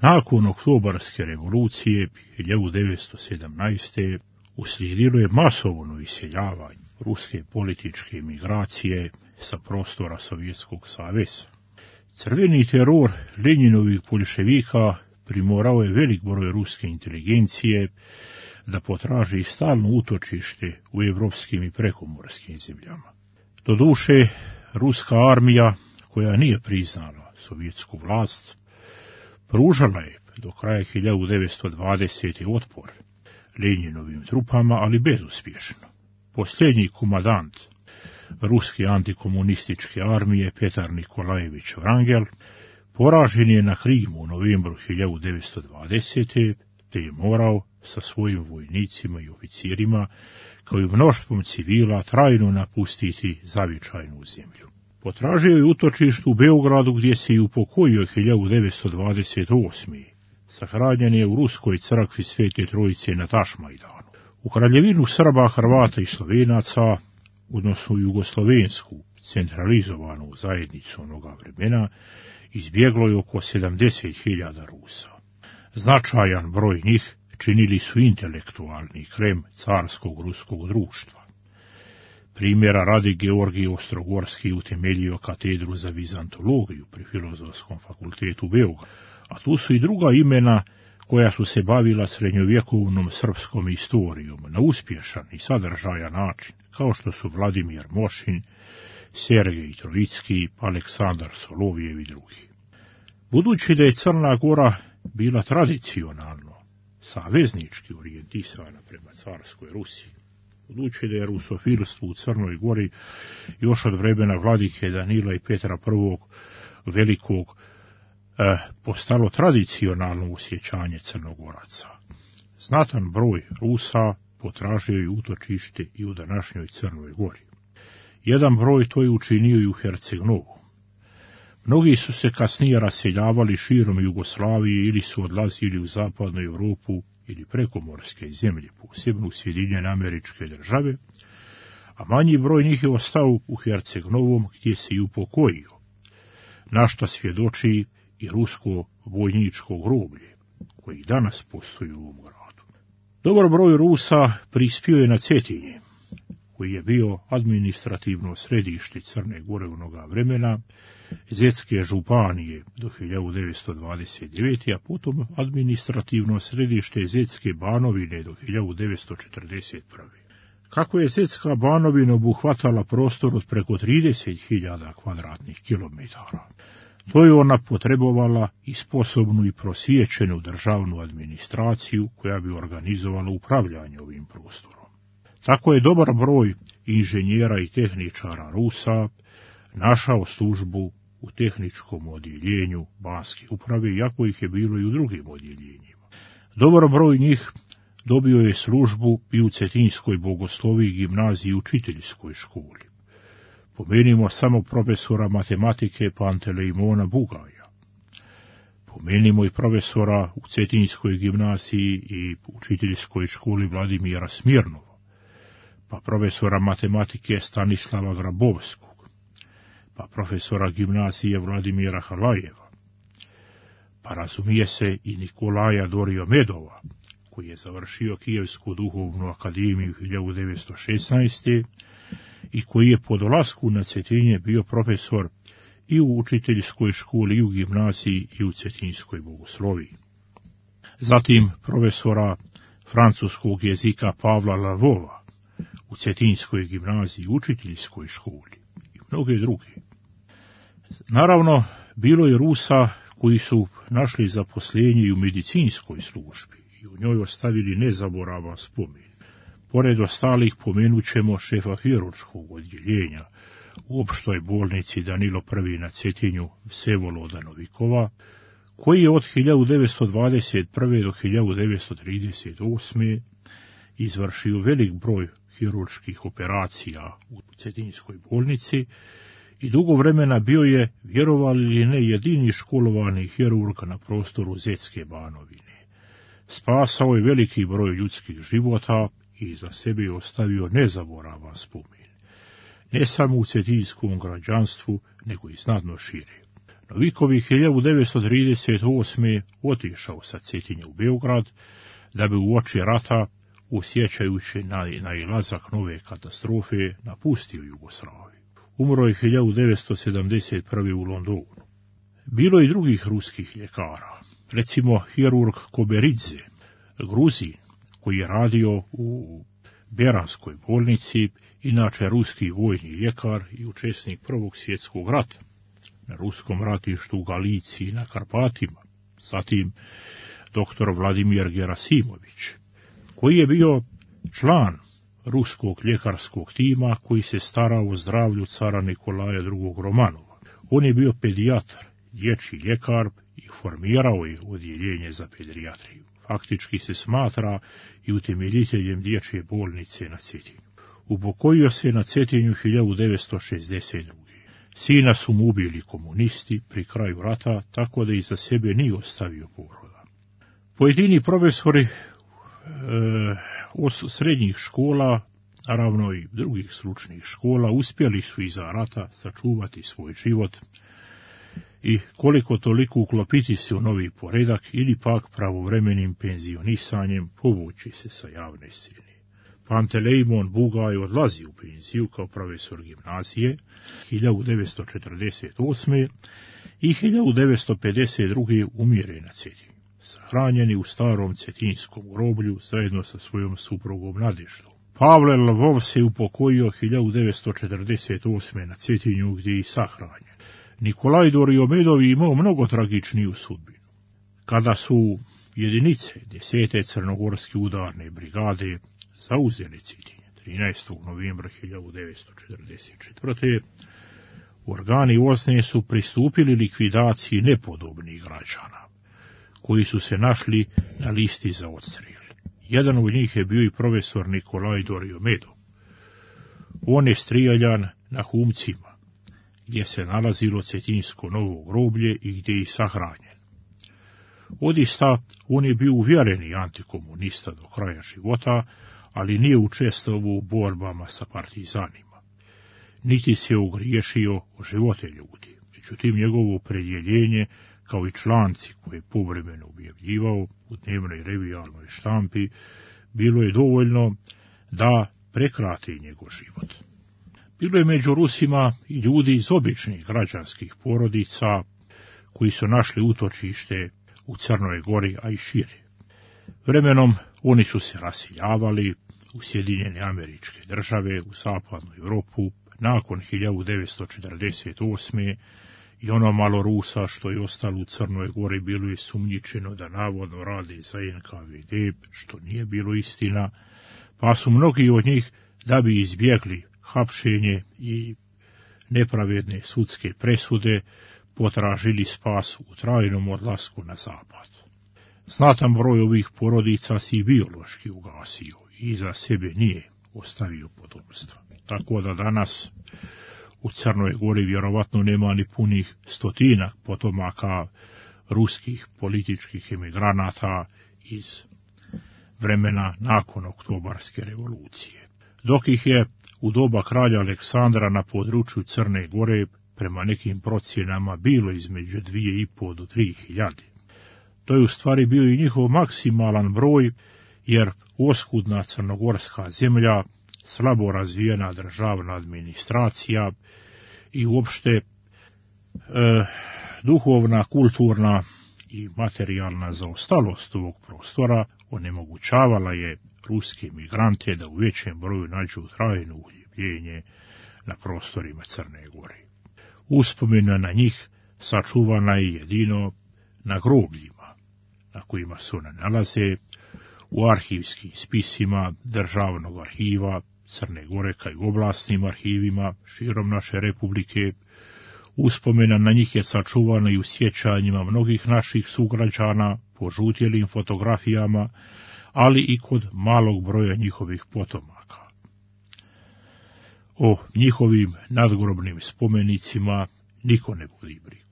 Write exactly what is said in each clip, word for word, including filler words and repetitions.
Nakon oktobarske revolucije hiljadu devetsto sedamnaeste. uslijedilo je masovno iseljavanje ruske političke migracije sa prostora Sovjetskog saveza. Crveni teror Lenjinovih boljševika primorao je velik broj ruske inteligencije da potraži stalno utočište u evropskim i prekomorskim zemljama. Doduše, ruska armija, koja nije priznala sovjetsku vlast, pružala je do kraja hiljadu devetsto dvadesete. otpor Lenjinovim trupama, ali bezuspješno. Posljednji komandant ruske antikomunističke armije Petar Nikolajević Vrangel poražen je na Krimu u novembru hiljadu devetsto dvadesete. te je morao sa svojim vojnicima i oficirima, kao i mnoštvom civila, trajno napustiti zavičajnu zemlju. Potražio je utočište u Beogradu, gdje se i upokojio hiljadu devetsto dvadeset osme. Sahranjen je u ruskoj crkvi Svete Trojice na Tašmajdanu. U kraljevinu Srba, Hrvata i Slovenaca, odnosno jugoslovensku centralizovanu zajednicu onoga vremena, izbjeglo je oko sedamdeset hiljada Rusa. Značajan broj njih činili su intelektualni krem carskog ruskog društva. Primjera radi, Georgij Ostrogorski utemeljio katedru za vizantologiju pri Filozofskom fakultetu u Beogradu, a tu su i druga imena koja su se bavila srednjovjekovnom srpskom istorijom na uspješan i sadržajan način, kao što su Vladimir Mošin, Sergej Trojicki, Aleksandar Solovijev i drugi. Budući da je Crna Gora bila tradicionalno saveznički orijentisana prema carskoj Rusiji, budući da je rusofilstvo u Crnoj Gori još od vremena vladike Danila i Petra I. Velikog eh, postalo tradicionalno osjećanje Crnogoraca. Znatan broj Rusa potražio je utočište i u današnjoj Crnoj Gori. Jedan broj to je učinio i u Herceg-Novu. Mnogi su se kasnije raseljavali širom Jugoslavije ili su odlazili u zapadnu Europu ili prekomorske zemlje, posebno u Sjedinjene Američke Države, a manji broj njih je ostao u Herceg-Novom, gdje se i upokojio, na što svjedoči i rusko vojničko groblje, koji danas postoji u ovom gradu. Dobar broj Rusa prispio je na Cetinje, koji je bio administrativno središte Crne Gore onoga vremena, Zetske županije do hiljadu devetsto dvadeset devete. a potom administrativno središte Zetske Banovine do hiljadu devetsto četrdeset prve. Kako je Zetska Banovina obuhvatala prostor od preko trideset hiljada kvadratnih kilometara, to je ona potrebovala i sposobnu i prosječenu državnu administraciju koja bi organizovala upravljanje ovim prostorom. Tako je dobar broj inženjera i tehničara Rusa našao službu u tehničkom odjeljenju Banske uprave, iako ih je bilo i u drugim odjeljenjima. Dobar broj njih dobio je službu i u Cetinskoj bogosloviji gimnaziji i učiteljskoj školi. Pomenimo samo profesora matematike Panteleimona Bugaja. Pomenimo i profesora u Cetinskoj gimnaziji i učiteljskoj školi Vladimira Smirnova, pa profesora matematike Stanislava Grabovskog, pa profesora gimnazije Vladimira Halajeva, pa razumije se i Nikolaja Doriomedova, koji je završio Kijevsku duhovnu akademiju hiljadu devetsto šesnaeste. i koji je po dolasku na Cetinje bio profesor i u učiteljskoj školi, i u gimnaziji, i u Cetinskoj bogosloviji. Zatim profesora francuskog jezika Pavla Lavova u Cetinskoj gimnaziji, učiteljskoj školi i mnoge druge. Naravno, bilo je Rusa koji su našli zaposlenje i u medicinskoj službi i u njoj ostavili nezaboravan spomen. Pored ostalih pomenut ćemo šefa hirurškog odjeljenja u opštoj bolnici Danilo I na Cetinju Vsevoloda Novikova, koji je od hiljadu devetsto dvadeset prve. do hiljadu devetsto trideset osme. izvršio velik broj hirurških operacija u Cetinskoj bolnici i dugo vremena bio je, vjerovali ili ne, jedini školovani hirurg na prostoru Zetske Banovine. Spasao je veliki broj ljudskih života i za sebe je ostavio nezaboravan spomen, ne samo u cetinskom građanstvu, nego i znatno šire. Noviković hiljadu devetsto trideset osme. otišao sa Cetinja u Beograd, da bi uoči rata, osjećajući na nailazak nove katastrofe, napustio Jugoslaviju. Umro je hiljadu devetsto sedamdeset prve. u Londonu. Bilo je i drugih ruskih ljekara, recimo hirurg Koberidze, Gruzin, koji je radio u Beranskoj bolnici, inače ruski vojni ljekar i učesnik Prvog svjetskog rata, na ruskom ratištu u Galiciji i na Karpatima. Zatim doktor Vladimir Gerasimović, koji je bio član ruskog ljekarskog tima koji se starao o zdravlju cara Nikolaja drugog. Romanova. On je bio pedijatar, dječji ljekar i formirao je odjeljenje za pedijatriju. Faktički se smatra i utemeljiteljem dječje bolnice na Cetinju. Upokojio se na Cetinju hiljadu devetsto šezdeset druge. Sina su mu ubili komunisti pri kraju rata, tako da iza sebe nije ostavio poroda. Pojedini profesori e, srednjih škola, naravno i drugih stručnih škola, uspjeli su iza rata sačuvati svoj život i koliko toliko uklopiti se u novi poredak ili pak pravovremenim penzionisanjem povući se sa javne scene. Pantelejmon Bugaj odlazi u penziju kao profesor gimnazije hiljadu devetsto četrdeset osme. i hiljadu devetsto pedeset druge. umire na Cetinju, sahranjeni u starom cetinjskom groblju zajedno sa svojom suprugom Nadeždom. Pavle Lvov se upokojio hiljadu devetsto četrdeset osme. na Cetinju, gdje je i sahranjen. Nikolaj Doriomedov je imao mnogo tragičniju sudbinu. Kada su jedinice desete crnogorske udarne brigade zauzeli Cetinje trinaestog novembra hiljadu devetsto četrdeset četvrte. organi Osne su pristupili likvidaciji nepodobnih građana, koji su se našli na listi za odstrel. Jedan od njih je bio i profesor Nikolaj Doriomedov. On je strijeljan na Humcima, gdje se nalazilo Cetinjsko novo groblje i gdje je i sahranjen. Odista, on je bio uvjereni antikomunista do kraja života, ali nije učestvovao u borbama sa partizanima, niti se ogriješio o živote ljudi. Međutim, njegovo opredjeljenje, kao i članci koje je povremeno objavljivao u dnevnoj revijalnoj štampi, bilo je dovoljno da prekrati njegov život. Bilo je među Rusima i ljudi iz običnih građanskih porodica koji su našli utočište u Crnoj Gori, a i šire. Vremenom oni su se rasiljavali u Sjedinjene Američke Države, u zapadnu Europu, nakon hiljadu devetsto četrdeset osme. i ono malo Rusa što je ostalo u Crnoj Gori bilo je sumnjičeno da navodno radi za en ka ve de, što nije bilo istina, pa su mnogi od njih, da bi izbjegli hapšenje i nepravedne sudske presude, potražili spas u trajnom odlasku na zapad. Znatan broj ovih porodica si biološki ugasio i iza sebe nije ostavio potomstva. Tako da danas u Crnoj Gori vjerovatno nema ni punih stotina potomaka ruskih političkih emigranata iz vremena nakon Oktobarske revolucije. Dok ih je u doba kralja Aleksandra na području Crne Gore prema nekim procjenama bilo između dvije i po do tri hiljade. To je u stvari bio i njihov maksimalan broj, jer oskudna crnogorska zemlja, slabo razvijena državna administracija i uopšte e, duhovna, kulturna i materijalna zaostalost ovog prostora onemogućavala je ruske migrante da u većem broju nađu trajno uhljebljenje na prostorima Crne Gore. Uspomena na njih sačuvana je jedino na grobljima, na kojima se one nalaze, u arhivskim spisima Državnog arhiva Crne Gore, kao i u oblastnim arhivima širom naše republike. Uspomena na njih je sačuvana i u sjećanjima mnogih naših sugrađana, požutjelim fotografijama, ali i kod malog broja njihovih potomaka. O njihovim nadgrobnim spomenicima niko ne vodi brigu.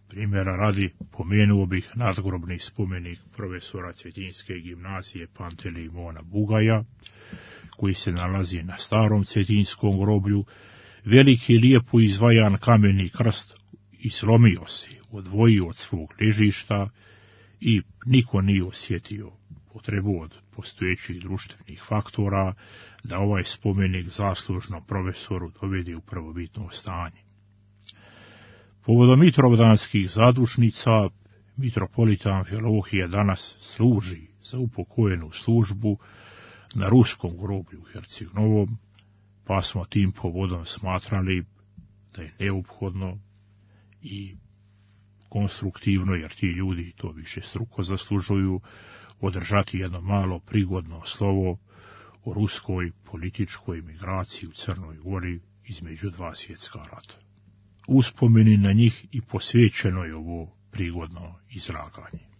Primjera radi, pomenuo bih nadgrobni spomenik profesora Cetinjske gimnazije Pantelejmona Bugaja, koji se nalazi na starom cetinjskom groblju, veliki lijepo izvajan kameni krst i slomio se, odvojio od svog ležišta i niko nije osjetio potrebu od postojećih društvenih faktora da ovaj spomenik zaslužnom profesoru dovede u prvobitno stanje. Povodom mitrovdanskih zadušnica, mitropolita Amfilohije danas služi za upokojenu službu na ruskom groblju u Herceg Novom, pa smo tim povodom smatrali da je neophodno i konstruktivno, jer ti ljudi to više struko zaslužuju, održati jedno malo prigodno slovo o ruskoj političkoj migraciji u Crnoj Gori između dva svjetska rata. Uspomeni na njih i posvećeno je ovo prigodno izlaganje.